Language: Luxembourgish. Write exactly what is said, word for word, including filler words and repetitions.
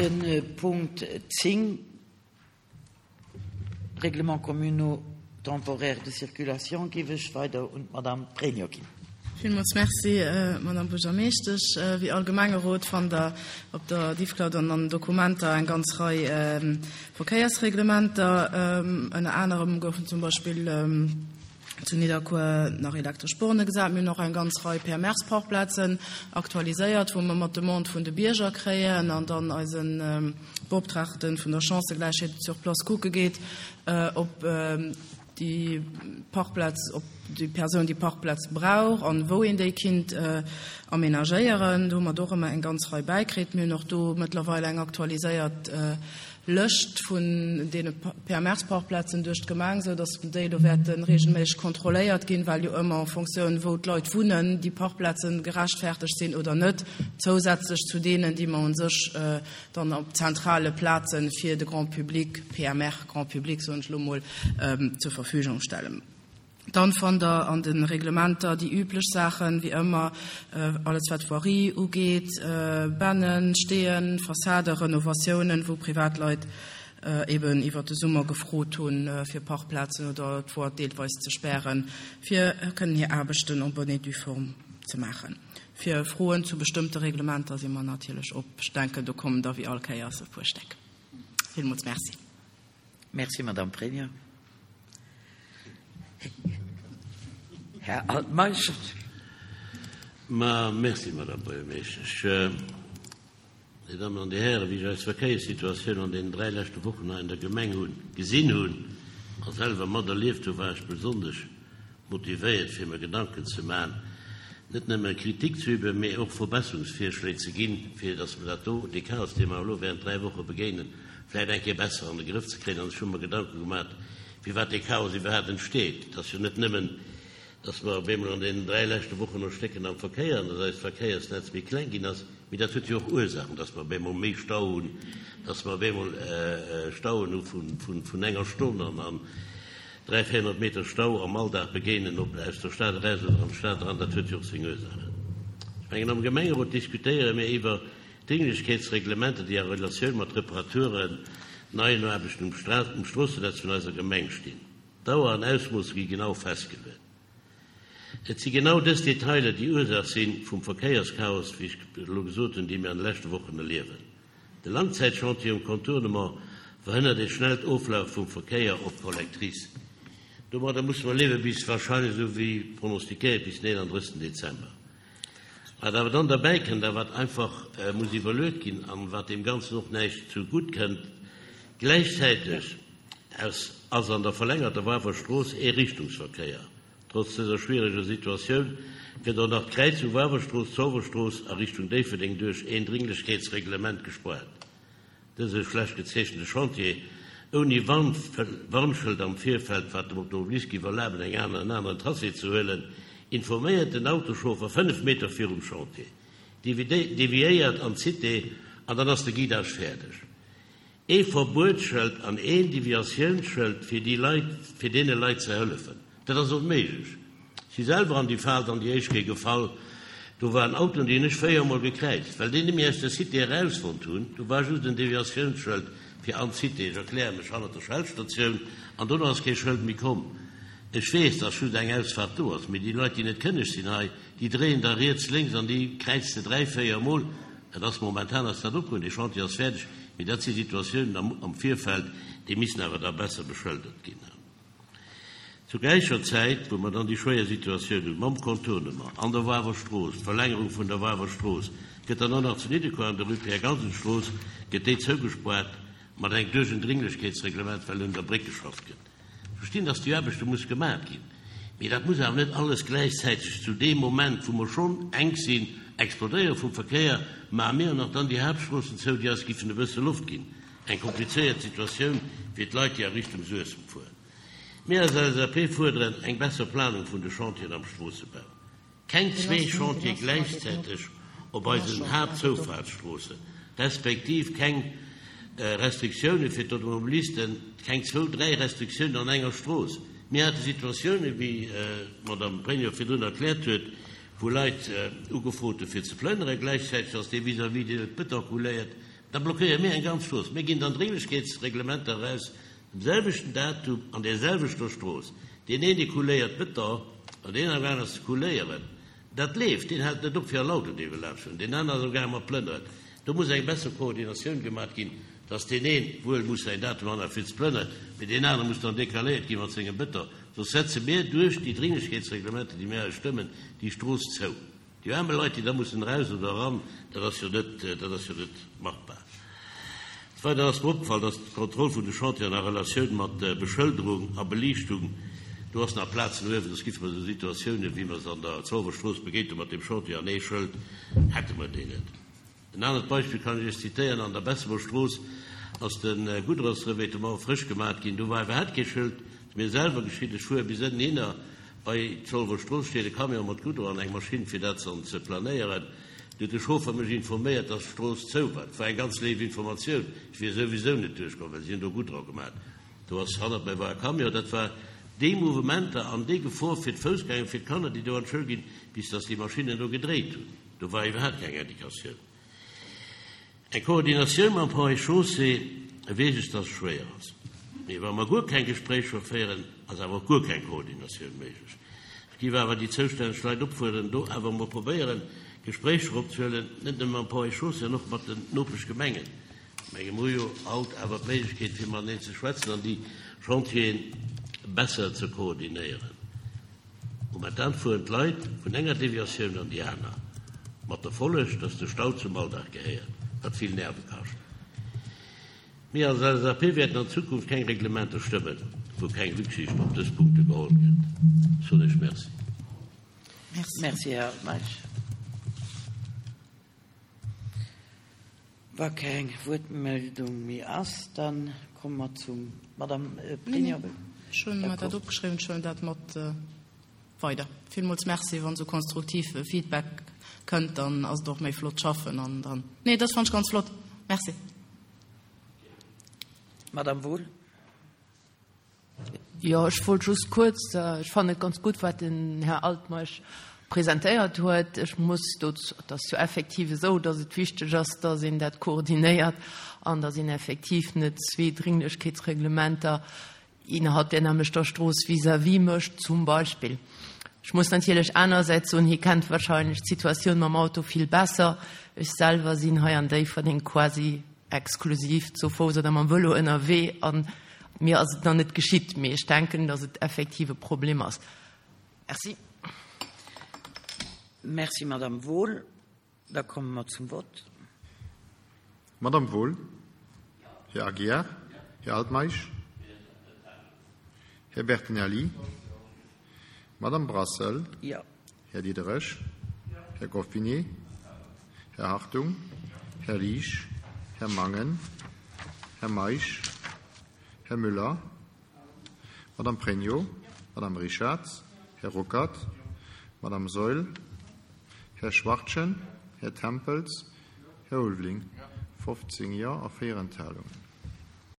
De Punkt zéng, Règlements communaux temporaires de circulation, géif ech weider un d'Madame Pregno ginn. Villmools Merci, Madame Buergermeeschtesch. Wéi all Gemengerot fannt Der op der Diffcloud an an den Dokumenter eng ganz Rei Verkéiersreglementer. Ënner anerem goufen zum Beispill zu Nidderkuer nach elektresch Borne gesat. Mir hunn och eng ganz Rei P M Rs-Parkplazen aktualiséiert, wou mer mat Demande vun de Bierger kréien an dann eise Beoptraagte vun der Chancëgläichheet sur place kucke geet, ob déi Parkplaz, ob déi Persoun déi Parkplaz brauch an wou een déi kinnt amenagéieren. Do hu mer och ëmmer eng ganz Rei bäikritt. Mir hunn och do mëttlerweil eng aktualiséiert Lëscht vun deene P M R-Parkplazen duerch d'Gemeng, sou datt déi do wäerte reegelméisseg kontrolléiert ginn, well jo ëmmer en Fonctioun wou d'Leit wunnen, déi Parkplazen gerechtfertegt sinn oder net, zousätzlech zu deenen, déi mer un sech dann op zentrale Plazen fir de Grand public, P M R, Grand public soen ech elo mol, zur Verfügung stellen. Dann fannt Der an de Reglementer déi üblech Saachen, wéi ëmmer, alles wat Voirie ugeet, Bennen, Steeën, Fassade, Renovatiounen, wou Privatleit eben iwwer de Summer gefrot hunn, fir Parkplazen oder d'Voie deelweis ze spären, fir kënnen hir Aarbechten en bonne et due forme ze maachen. Fir Froen zu bestëmmte Reglementer si mer natierlech op. Ech denken, do kommen der wéi all Kéiers e puer Stéck. Villmools Merci. Merci, Madame Pregno. Här Altmeisch. Ma merci, Madame Buergermeeschtesch. Dir Dammen an Dir Hären, wéi ech eis Verkéierssituatioun an deenen dräi leschte Wochen hei an der Gemeng hunn gesinn hunn a selwer materlieft hunn, war ech besonnesch motivéiert, fir mer Gedanken ze maachen, net nëmme Kritik ze üben, mee och Verbesserungsvirschléi ze ginn, fir datt mer dat do, dee Chaos, dee mer elo während dräi Woche begéinen, vläicht eng Kéier besser an de Grëff ze kréien. An ech hu mer Gedanke gemaach, firwat dee Chaos iwwerhaapt entsteet. Et ass jo net nëmmen, datt mer op eemol an deenen dräi leschte Wochen erstécken am Verkéier an datt eist Verkéiersnetz méi kleng ginn ass, mee dat huet jo och Ursaachen, datt mer op eemol méi Stau hunn, datt mer op eemol Stauen hu vun enger Stonn an an dräi, véierhonnert Meter Stau am Alldag begéinen, ob aus der Stad eraus oder an d'Stad eran, dat huet jo och seng Ursaachen. Ech mengen, am Gemengerot diskutéiere mir iwwer Dringlechkeetsreglementer, déi a Relatioun mat Reparaturen, neien Aarbechten um Stroossennetz vun eiser Gemeng stinn. Dauer an Ausmoosse gi genau festgeluecht. Et si genau dës Detailer, déi Ursaach si vum Verkéierschaos, wéi ech elo gesot hunn, dee mir an de leschte Wochen erliewen. De Langzäitchantier um Contournement verhënnert e schnellt Oflaf vum Verkéier op d'Collectrice. Domadder musse mer liewe bis wahrscheinlech, esou wéi pronostikéiert, bis den eenandrëssegsten Dezember. Wat awer dann derbäi kënnt a wat einfach muss iwwerluet ginn an wat deem Ganzen och näischt zu gutt kënnt, gläichzäiteg ass an der verlängerter Wafer Strooss Eeriichtungsverkéier. Trotz dëser schwiereger Situatioun gëtt och nach d'Kräizung Wawerstrooss, Zolwerstrooss a Richtung Déifferdeng duerch een Dringlechkeetsreglement gespaart. Dëse schlecht gezeechente Chantier ouni Warnschëld am Virfeld, wat dem Automobilist géif erlaben, eng aner, en aneren Tracé ze huelen, informéiert den Autoschauffer fënnef Meter virum Chantier, deviéiert an d'Cité an dann ass de Guidage fäerdeg. Ee Verbuetsschëld an een Deviatiounsschëld fir déi Leit, fir deene Leit ze hëllefen. Dat ass onméiglech. Si selwer an déi Fal dann déi éischt Kéier gefall. Do waren Autoen, déi hunn ech véier Mol gekräizt, well déi net méi aus der Cité erausfonnt hunn. Do war just en Deviatiounsschëld fir an d'Cité, ech erkläre mech, hannert der Shell-Statioun, an dono ass kee Schëld méi komm. Ech weess, dass just eng Ausfahrt do ass, mee déi Leit, déi net kënneg sinn hei, déi dréien da riets, lénks an déi kräiz de dräi, véier Mol. Dat ass momentan ass dat opgeholl, dee Chantier ass fäerdeg, mee dat si Situatiounen am, am Virfeld, déi missen awer da besser beschëldert ginn. Zu gläicher Zäit, wou mer dann déi schwéier Situatioun hunn mam Contournement an der Wawerstrooss, d'Verlängerung vun der Wawerstrooss, gëtt dann och nach zu Nidderkuer an der Rue Pierre Gansen-Strooss, gëtt déi zougespaart mat engem duerch en Dringlechkeetsreglement, well un der Bréck geschafft gëtt. Ech verstinn, dass déi Aarbechte muss gemaach ginn, mee dat muss awer net alles gläichzäiteg zu deem Moment, wou mer schonn enk sinn, explodéiere vum Verkéier, maache mir och nach dann déi Haaptstroossen zou, déi eis giffen e bësse Loft ginn. Eng komplizéiert Situatioun fir d'Leit, déi a Richtung Suessem fueren. Mir als L S A P fuerderen eng besser Planung vun de Chantieren am Stroossebau. Keng zwee Chantiere gläichzäiteg op eisen Haaptzoufahrtsstroossen, respektiv keng Restriktioune fir d'Automobilisten, keng zwou, dräi Restriktiounen an enger Strooss. Mir hate Situatiounen, wéi d'Madame Pregno virdrun erkläert huet, wou Leit ugefrot hu fir ze plënneren. Gläichzäiteg ass dee vis-à-vis, deen huet Bëton couléiert. Da blockéiere mir eng ganz Strooss. Mir ginn dann Dringlichkeetsreglementer eraus, um selwechten Datum an där selwechter Strooss. Deen een, dee couléiert Beton, an deen amgaang ass ze couléieren, dat leeft, deen hält net op fir an Auto dee wëll laanschtfueren, deen aneren ass amgaang mat plënneren. Do muss eng besser Koordinatioun gemaat ginn, dass deen een wuel muss säin Datum anhalen fir ze plënneren, mee deen anere muss dann decaléiert gi mat sengem Beton. Soss setze mir duerch déi Dringlichkeetsreglementer, déi mir hei stëmmen, déi Strooss zou. Déi aarme Leit, déi da mussen eraus oder eran, dat ass jo net, dat ass jo net machbar. Des Weideren ass mer opgefall, dass d'Kontroll vun de Chantieren a Relatioun mat Beschëlderung a Beliichtung, do ass nach Plaz no uewen, soss giffe mer esou Situatiounen, wéi mer se an der Zolwer Strooss begéint hu mat deem Chantier an ee Schëld, hätte mer déi net. En anert Beispill kann ech Iech zitéieren, An der Bessemer Strooss ass de Goudronsrevêtement frësch gemat ginn, do war iwwerhaapt kee Schëld. Et ass mir selwer geschitt, ech fuer bis ënnen hinner bei d'Zolwer Strooss, steet e Camion mat Goudron an eng Maschinn fir dat dann ze planéieren. Du huet de Chauffer mech informéiert, dass d'Strooss zou war. Dat war eng ganz léif Informatioun. Ech wier souwisou net duerchkomm, well si hunn do Goudron gemat. Do ass hannert mir war e Camion. Dat war déi Mouvementer an déi Gefor fir d'Foussgänger, fir d'Kanner, déi do an d'Schoul ginn, bis dass déi Maschinnen do gedréit hunn. Do war iwwerhaapt keng Indikatioun. Eng Koordinatioun mam Ponts et Chaussées, weess ech, dass et schwéier ass. Mee wa mer guer keng Gespréicher féieren, ass awer och guer keng Koordinatioun méiglech. Ech géif awer déi zoustänneg Leit opfuerderen, do awer emol probéieren, Gespréicher opzehuelen, net nëmme mam Ponts et Chaussées an och mat den Nopeschgemengen. Ech menge mer hu jo haut awer d'Méiglechkeet, fir mateneen ze schwätzen an déi Chantieren besser ze koordinéieren. Momentan fueren d'Leit vun enger Deviatioun an déi aner, mat der Folleg, dass de Stau zum Alldag gehéiert, wat vill Nerve kascht. Mir als L S A P wäerten an Zukunft keng Reglementer stëmmen, wou keng Rücksicht op dës Punkte geholl gëtt. Ech soen Iech Merci. Merci. Merci, Här Altmeisch. Wa keng Wuertmeldung méi ass, dann komme mer zum Madame Pregno. Ech hunn mer dat opgeschriwwen, ech huelen dat mat weider. Villmools Merci, wann esou konstruktiv Feedback kënnt, dann ass et och méi flott schaffen an dann. Nee, dat fand ech ganz flott. Merci. Madame Wohl. Jo, ech wollt just kuerz, ech fannen et ganz gutt, wat den Här Altmeisch presentéiert huet. Ech muss do, et ass jo effektiv esou, datt et wichteg ass, datt een dat koordinéiert an datt een effektiv net zwee Dringlichkeetsreglementer innerhalb der nämmlechter Strooss vis-à-vis mécht, zum Beispill. Ech muss natierlech anersäits soen, hie kennt wahrscheinlech d'Situatioun mam Auto vill besser. Ech selwer sinn hei an Déifferdeng quasi exklusiv zu Fouss oder mam Vëlo ënnerwee an mir ass et nach net geschitt, mee ech denken, datt et effektiv e Problem ass. Merci. Merci, Madame Wohl. Da komme mer zum Vott. Madame Wohl. Här Aguiar. Här Altmeisch. Här Bertinelli. Madame Brassel. Jo. Här Diderich. Här Goffinet. Här Hartung. Här Liesch. Här Mangen. Här Meisch. Här Müller. Madame Pregno. Madame Richarz. Här Ruckert. Madame Saeul. Här Schwachtgen. Här Tempels. Här Ulveling. fofzéng Jo a véier Enthalungen.